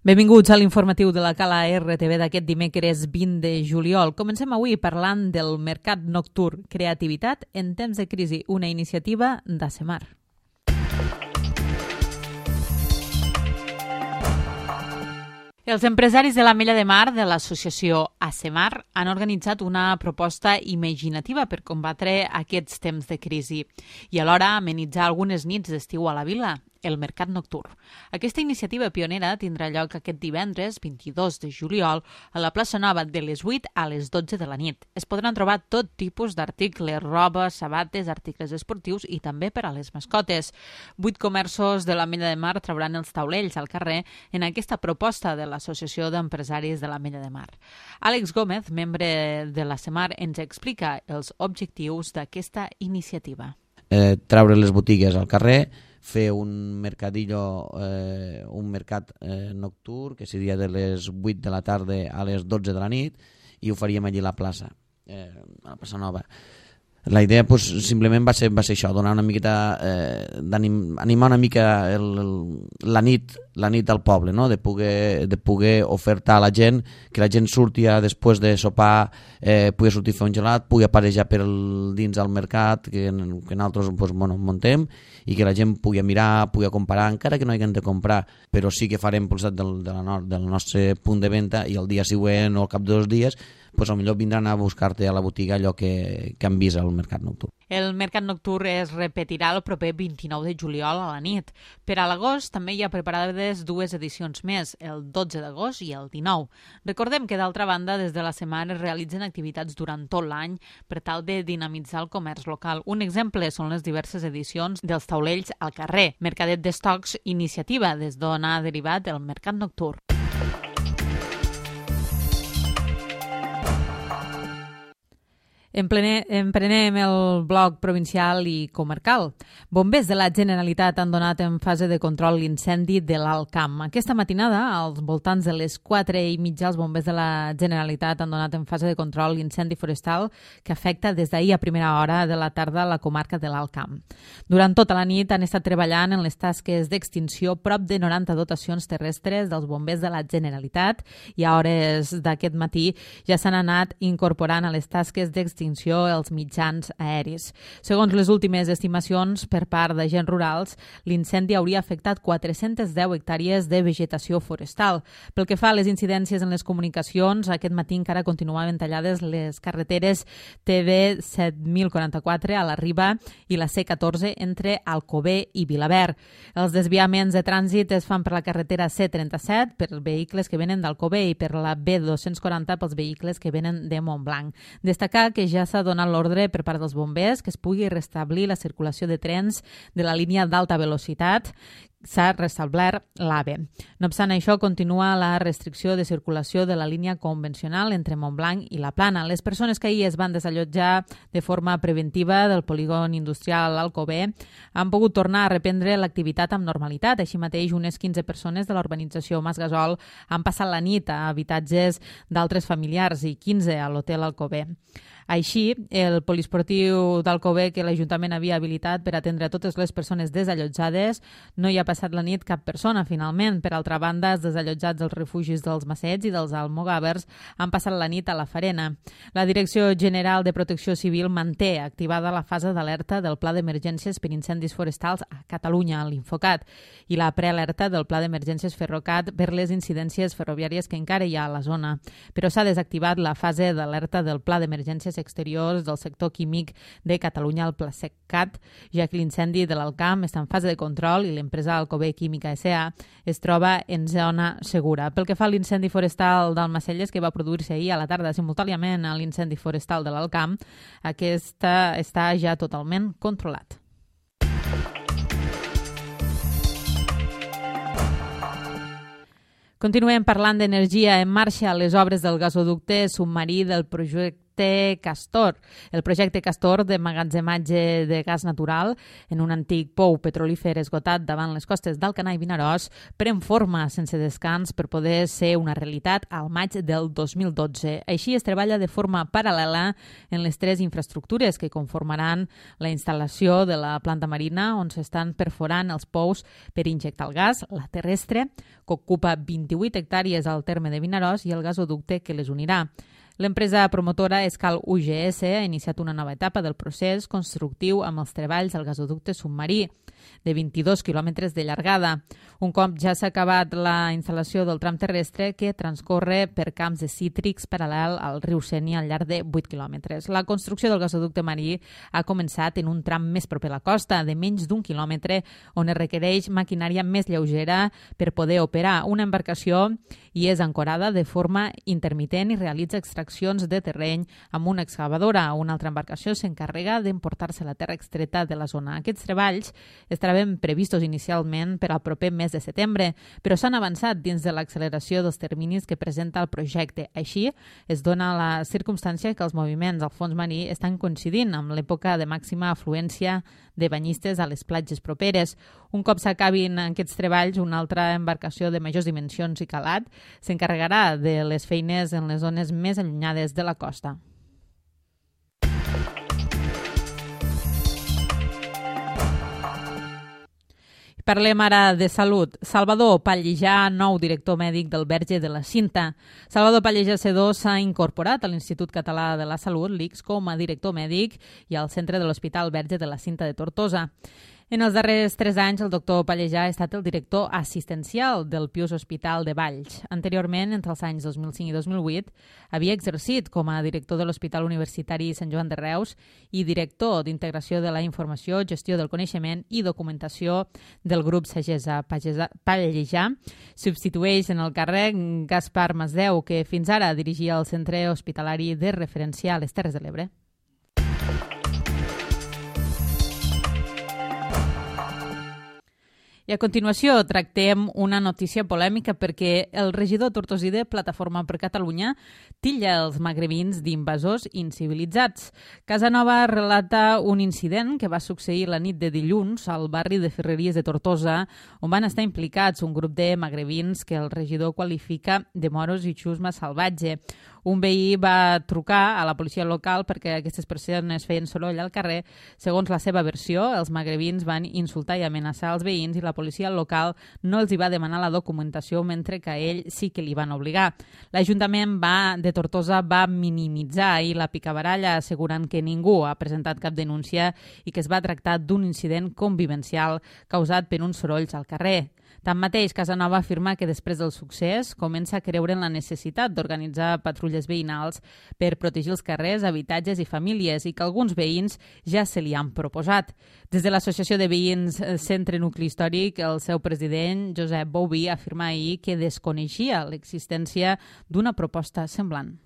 Benvinguts a l'informatiu de la Cala RTV d'aquest dimecres 20 de juliol. Comencem avui parlant del mercat nocturn Creativitat en temps de crisi, una iniciativa d'ACEMAR. Els empresaris de l'Ametlla de Mar de l'associació ACEMAR han organitzat una proposta imaginativa per combatre aquests temps de crisi i alhora amenitzar algunes nits d'estiu a la vila, el mercat nocturn. Aquesta iniciativa pionera tindrà lloc aquest divendres, 22 de juliol, a la plaça Nova de les 8 a les 12 de la nit. Es podran trobar tot tipus d'articles, roba, sabates, articles esportius i també per a les mascotes. 8 comerços de l'Ametlla de Mar trauran els taulells al carrer en aquesta proposta de l'Associació d'Empresaris de l'Ametlla de Mar. Àlex Gómez, membre de l'ACEMAR, ens explica els objectius d'aquesta iniciativa. Treure les botigues al carrer, fer un mercadillo, un mercat nocturn, que seria de les 8 de la tarda a les 12 de la nit, i ho faríem allí a la plaça, a la plaça Nova. La idea simplement va ser això, donar una miqueta, animar una mica la nit al poble, no? de poder ofertar a la gent, que la gent surti després de sopar, pugui sortir a fer un gelat, pugui aparejar dins del mercat que nosaltres muntem, i que la gent pugui mirar, pugui comparar, encara que no hagin de comprar, però sí que farem del nostre punt de venda, i el dia següent o al cap de 2 dies potser vindran a buscar-te a la botiga allò que han vist al mercat nocturn. El mercat nocturn es repetirà el proper 29 de juliol a la nit. Per a l'agost també hi ha preparades 2 edicions més, el 12 d'agost i el 19. Recordem que, d'altra banda, des de la setmana es realitzen activitats durant tot l'any per tal de dinamitzar el comerç local. Un exemple són les diverses edicions dels taulells al carrer, Mercadet d'Estocs, iniciativa des d'on ha derivat el mercat nocturn. Emprenem el bloc provincial i comarcal. Bombers de la Generalitat han donat en fase de control l'incendi de l'Alt Camp. Aquesta matinada, als voltants de les 4:30, els bombers de la Generalitat han donat en fase de control l'incendi forestal que afecta des d'ahir a primera hora de la tarda a la comarca de l'Alt Camp. Durant tota la nit han estat treballant en les tasques d'extinció prop de 90 dotacions terrestres dels bombers de la Generalitat i a hores d'aquest matí ja s'han anat incorporant a les tasques d'extinció els mitjans aeris. Segons les últimes estimacions per part d'agents rurals, l'incendi hauria afectat 410 hectàrees de vegetació forestal. Pel que fa a les incidències en les comunicacions, aquest matí encara continuaven tallades les carreteres TB 7044 a la Riba i la C14 entre Alcover i Vilaverd. Els desviaments de trànsit es fan per la carretera C37 per vehicles que venen d'Alcover i per la B240 pels vehicles que venen de Montblanc. Destacar que ja s'ha donat l'ordre per part dels bombers que es pugui restablir la circulació de trens de la línia d'alta velocitat. S'ha restablert l'AVE. No obstant això, continua la restricció de circulació de la línia convencional entre Montblanc i La Plana. Les persones que ahir es van desallotjar de forma preventiva del polígon industrial Alcover han pogut tornar a reprendre l'activitat amb normalitat. Així mateix, unes 15 persones de l'urbanització Mas Gasol han passat la nit a habitatges d'altres familiars i 15 a l'hotel Alcover. Així, el poliesportiu d'Alcover, que l'Ajuntament havia habilitat per atendre a totes les persones desallotjades, no hi ha passat la nit cap persona, finalment. Per altra banda, els desallotjats dels refugis dels Massets i dels Almogàvers han passat la nit a la Farena. La Direcció General de Protecció Civil manté activada la fase d'alerta del Pla d'Emergències per incendis forestals a Catalunya, l'Infocat, i la prealerta del Pla d'Emergències Ferrocat per les incidències ferroviàries que encara hi ha a la zona. Però s'ha desactivat la fase d'alerta del Pla d'Emergències exteriors del sector químic de Catalunya al Plasecat, ja que l'incendi de l'Alt Camp està en fase de control i l'empresa Alcover Química S.A. es troba en zona segura. Pel que fa a l'incendi forestal d'Almacelles, que va produir-se ahir a la tarda simultàniament a l'incendi forestal de l'Alt Camp, aquesta està ja totalment controlat. Continuem parlant d'energia. En marxa les obres del gasoducte submarí del projecte projecte Castor. El projecte Castor d'emmagatzematge de gas natural en un antic pou petrolífer esgotat davant les costes d'Alcanar i Vinaròs pren forma sense descans per poder ser una realitat al maig del 2012. Així es treballa de forma paral·lela en les tres infraestructures que conformaran la instal·lació de la planta marina on s'estan perforant els pous per injectar el gas, la terrestre, que ocupa 28 hectàrees al terme de Vinaròs, i el gasoducte que les unirà. L'empresa promotora Escal UGS ha iniciat una nova etapa del procés constructiu amb els treballs al gasoducte submarí, de 22 quilòmetres de llargada. Un cop ja s'ha acabat la instal·lació del tram terrestre que transcorre per camps de cítrics paral·lel al riu Sénia al llarg de 8 quilòmetres. La construcció del gasoducte marí ha començat en un tram més proper a la costa, de menys d'1 quilòmetre, on es requereix maquinària més lleugera per poder operar. Una embarcació i és ancorada de forma intermitent i realitza extraccions de terreny amb una excavadora. Una altra embarcació s'encarrega d'emportar-se la terra extreta de la zona. Aquests treballs estaven previstos inicialment per al proper mes de setembre, però s'han avançat dins de l'acceleració dels terminis que presenta el projecte. Així, es dona la circumstància que els moviments al fons marí estan coincidint amb l'època de màxima afluència de banyistes a les platges properes. Un cop s'acabin aquests treballs, una altra embarcació de majors dimensions i calat s'encarregarà de les feines en les zones més allunyades de la costa. Parlem ara de salut. Salvador Pallejà, nou director mèdic del Verge de la Cinta. Salvador Pallejà Sedó s'ha incorporat a l'Institut Català de la Salut, l'ICS, com a director mèdic i al centre de l'Hospital Verge de la Cinta de Tortosa. En els darrers 3 anys, el doctor Pallejà ha estat el director assistencial del Pius Hospital de Valls. Anteriorment, entre els anys 2005 i 2008, havia exercit com a director de l'Hospital Universitari Sant Joan de Reus i director d'Integració de la Informació, Gestió del Coneixement i Documentació del grup Sagessa. Pallejà substitueix en el càrrec Gaspar Masdeu, que fins ara dirigia el Centre Hospitalari de Referència a les Terres de l'Ebre. I a continuació tractem una notícia polèmica perquè el regidor tortosí de Plataforma per Catalunya titlla els magrebins d'invasors incivilitzats. Casanova relata un incident que va succeir la nit de dilluns al barri de Ferreries de Tortosa, on van estar implicats un grup de magrebins que el regidor qualifica de moros i xusma salvatge. Un veí va trucar a la policia local perquè aquestes persones feien soroll al carrer. Segons la seva versió, els magrebins van insultar i amenaçar els veïns i la policia local no els hi va demanar la documentació, mentre que a ell sí que li van obligar. L'Ajuntament de Tortosa va minimitzar ahir la picabaralla, assegurant que ningú ha presentat cap denúncia i que es va tractar d'un incident convivencial causat per uns sorolls al carrer. Tanmateix, Casanova afirma que després del succés comença a creure en la necessitat d'organitzar patrulles veïnals per protegir els carrers, habitatges i famílies i que alguns veïns ja se li han proposat. Des de l'Associació de Veïns Centre Nucli Històric, el seu president, Josep Bouví, afirma ahir que desconeixia l'existència d'una proposta semblant.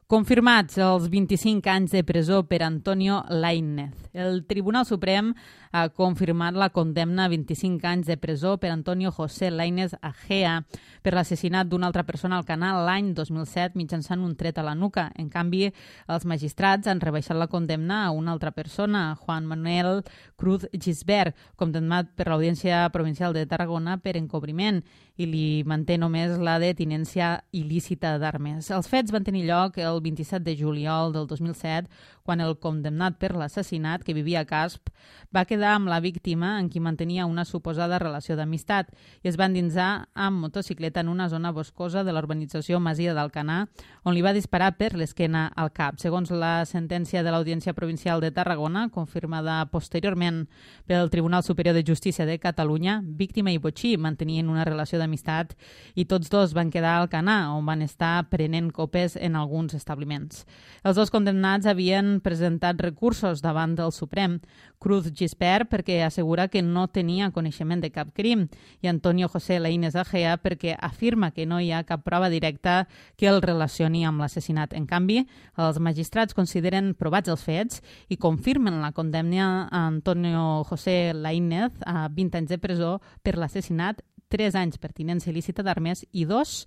Confirmats els 25 anys de presó per Antonio Lainez. El Tribunal Suprem ha confirmat la condemna a 25 anys de presó per Antonio José Lainez Agea per l'assassinat d'una altra persona al Canal l'any 2007 mitjançant un tret a la nuca. En canvi, els magistrats han rebaixat la condemna a una altra persona, Juan Manuel Cruz Gisbert, condemnat per l'Audiència Provincial de Tarragona per encobriment, i li manté només la de tinència il·lícita d'armes. Els fets van tenir lloc el 27 de juliol del 2007, quan el condemnat per l'assassinat, que vivia a Casp, va quedar amb la víctima en qui mantenia una suposada relació d'amistat i es va endinsar amb motocicleta en una zona boscosa de l'urbanització Masia d'Alcanar, on li va disparar per l'esquena al cap. Segons la sentència de l'Audiència Provincial de Tarragona, confirmada posteriorment pel Tribunal Superior de Justícia de Catalunya, víctima i botxí mantenien una relació d'amistat i tots dos van quedar a Alcanar, on van estar prenent copes en alguns establiments. Els dos condemnats havien presentat recursos davant del Suprem. Cruz Gisbert perquè assegura que no tenia coneixement de cap crim i Antonio José Lainez Agea perquè afirma que no hi ha cap prova directa que el relacioni amb l'assassinat. En canvi, els magistrats consideren provats els fets i confirmen la condemna a Antonio José Lainez a 20 anys de presó per l'assassinat 3 anys per tinença il·lícita d'armes i 2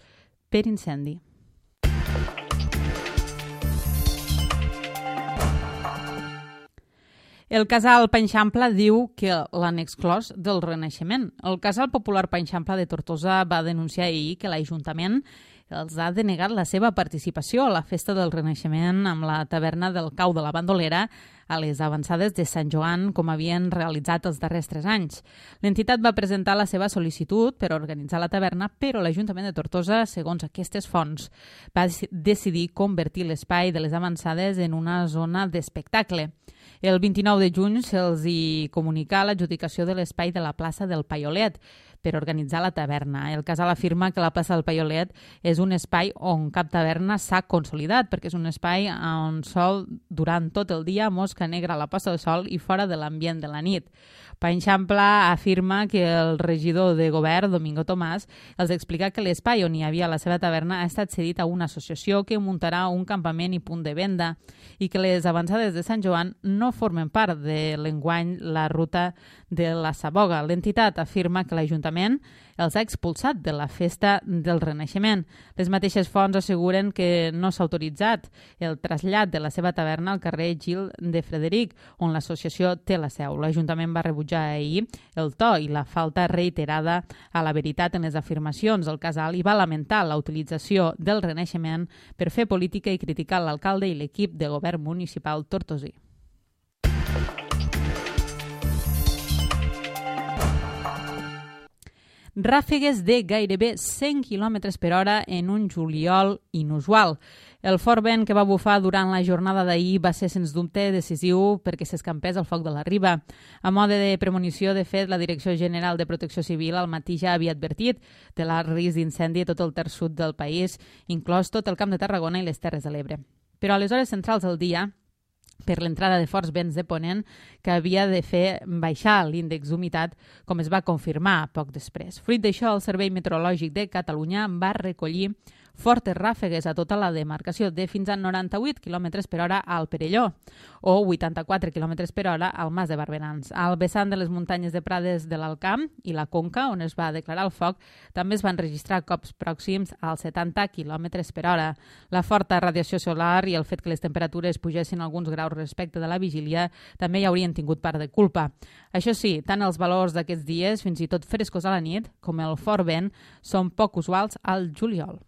per incendi. El casal Panxampla diu que l'han exclòs del Renaixement. El casal popular Panxampla de Tortosa va denunciar ahir que l'Ajuntament els ha denegat la seva participació a la festa del Renaixement amb la taverna del Cau de la Bandolera a les avançades de Sant Joan, com havien realitzat els darrers 3 anys. L'entitat va presentar la seva sol·licitud per organitzar la taverna, però l'Ajuntament de Tortosa, segons aquestes fonts, va decidir convertir l'espai de les avançades en una zona d'espectacle. El 29 de juny se'ls hi comunicà l'adjudicació de l'espai de la plaça del Paiolet per organitzar la taverna. El casal afirma que la plaça del Paiolet és un espai on cap taverna s'ha consolidat, perquè és un espai on sol durant tot el dia mosca negra a la posta de sol i fora de l'ambient de la nit. Panxampla afirma que el regidor de govern, Domingo Tomàs, els explica que l'espai on hi havia la seva taverna ha estat cedit a una associació que muntarà un campament i punt de venda i que les avançades de Sant Joan no formen part de l'enguany la ruta de la Saboga. L'entitat afirma que l'Ajuntament els ha expulsat de la festa del Renaixement. Les mateixes fonts asseguren que no s'ha autoritzat el trasllat de la seva taverna al carrer Gil de Frederic, on l'associació té la seu. L'Ajuntament va rebutjar ahir el to i la falta reiterada a la veritat en les afirmacions del casal i va lamentar la utilització del Renaixement per fer política i criticar l'alcalde i l'equip de govern municipal tortosí. Ràfegues de gairebé 100 km per hora en un juliol inusual. El fort vent que va bufar durant la jornada d'ahir va ser, sens dubte, decisiu perquè s'escampés el foc de la riba. A mode de premonició, de fet, la Direcció General de Protecció Civil al matí ja havia advertit de l'alt risc d'incendi a tot el terç sud del país, inclòs tot el Camp de Tarragona i les Terres de l'Ebre. Però a les hores centrals del dia, per l'entrada de forts vents de ponent que havia de fer baixar l'índex d'humitat, com es va confirmar poc després. Fruit d'això, el Servei Meteorològic de Catalunya va recollir fortes ràfegues a tota la demarcació de fins a 98 km per hora al Perelló o 84 km per hora al Mas de Barberans. Al vessant de les muntanyes de Prades de l'Alcamp i la Conca, on es va declarar el foc, també es van registrar cops pròxims als 70 km per hora. La forta radiació solar i el fet que les temperatures pugessin alguns graus respecte de la vigília també hi haurien tingut part de culpa. Això sí, tant els valors d'aquests dies, fins i tot frescos a la nit, com el fort vent, són poc usuals al juliol.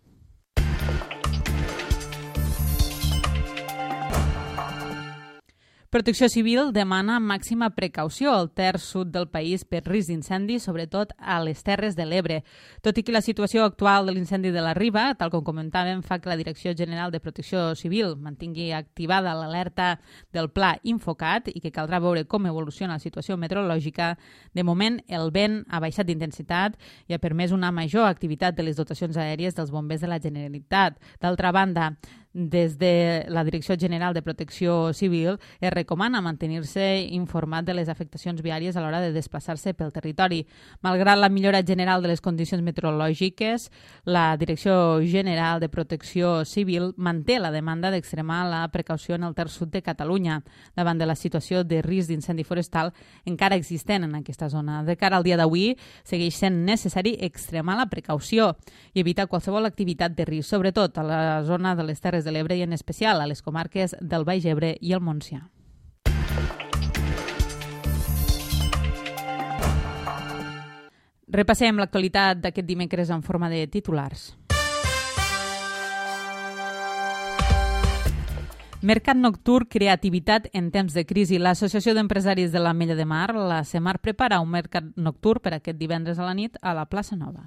Protecció Civil demana màxima precaució al terç sud del país per risc d'incendi, sobretot a les Terres de l'Ebre. Tot i que la situació actual de l'incendi de la Riba, tal com comentàvem, fa que la Direcció General de Protecció Civil mantingui activada l'alerta del Pla Infocat i que caldrà veure com evoluciona la situació meteorològica, de moment el vent ha baixat d'intensitat i ha permès una major activitat de les dotacions aèries dels bombers de la Generalitat. D'altra banda, des de la Direcció General de Protecció Civil es recomana mantenir-se informat de les afectacions viàries a l'hora de desplaçar-se pel territori. Malgrat la millora general de les condicions meteorològiques, la Direcció General de Protecció Civil manté la demanda d'extremar la precaució en el terç sud de Catalunya davant de la situació de risc d'incendi forestal encara existent en aquesta zona. De cara al dia d'avui, segueix sent necessari extremar la precaució i evitar qualsevol activitat de risc, sobretot a la zona de les Terres de l'Ebre i en especial a les comarques del Baix Ebre i el Montsià. Repassem l'actualitat d'aquest dimecres en forma de titulars. Mercat nocturn, creativitat en temps de crisi. L'Associació d'Empresaris de l'Ametlla de Mar, la CEMAR, prepara un mercat nocturn per aquest divendres a la nit a la plaça Nova.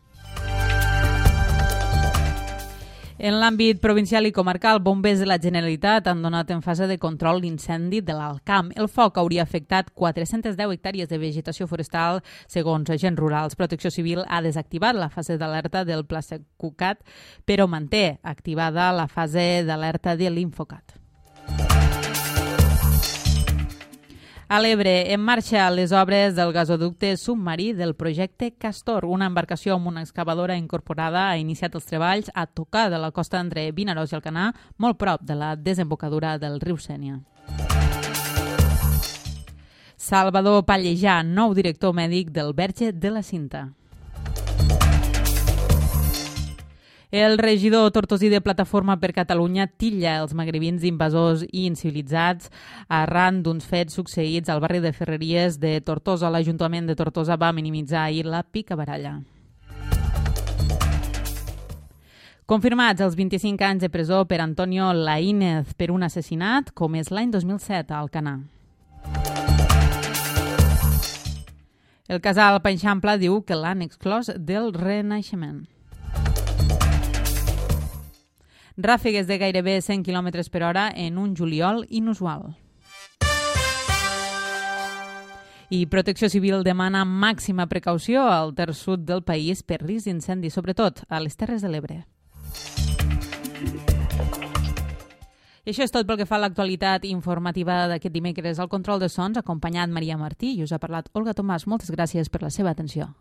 En l'àmbit provincial i comarcal, bombers de la Generalitat han donat en fase de control l'incendi de l'Alcamp. El foc hauria afectat 410 hectàrees de vegetació forestal, segons agents rurals. Protecció Civil ha desactivat la fase d'alerta del Pla Cucat, però manté activada la fase d'alerta de l'Infocat. A l'Ebre, en marxa les obres del gasoducte submarí del projecte Castor. Una embarcació amb una excavadora incorporada ha iniciat els treballs a tocar de la costa entre Vinaròs i Alcanar, molt prop de la desembocadura del riu Sénia. Salvador Pallejà, nou director mèdic del Verge de la Cinta. El regidor tortosí de Plataforma per Catalunya titlla els magrebins d'invasors i incivilitzats arran d'uns fets succeïts al barri de Ferreries de Tortosa. L'Ajuntament de Tortosa va minimitzar ahir la picabaralla. Confirmats els 25 anys de presó per Antonio Laínez per un assassinat, com és l'any 2007 a Alcanar. El casal Panxampla diu que l'han exclòs del Renaixement. Ràfegues de gairebé 100 km per hora en un juliol inusual. I Protecció Civil demana màxima precaució al terç sud del país per risc d'incendi, sobretot a les Terres de l'Ebre. I això és tot pel que fa a l'actualitat informativa d'aquest dimecres. Al control de sons, acompanyat Maria Martí, i us ha parlat Olga Tomàs. Moltes gràcies per la seva atenció.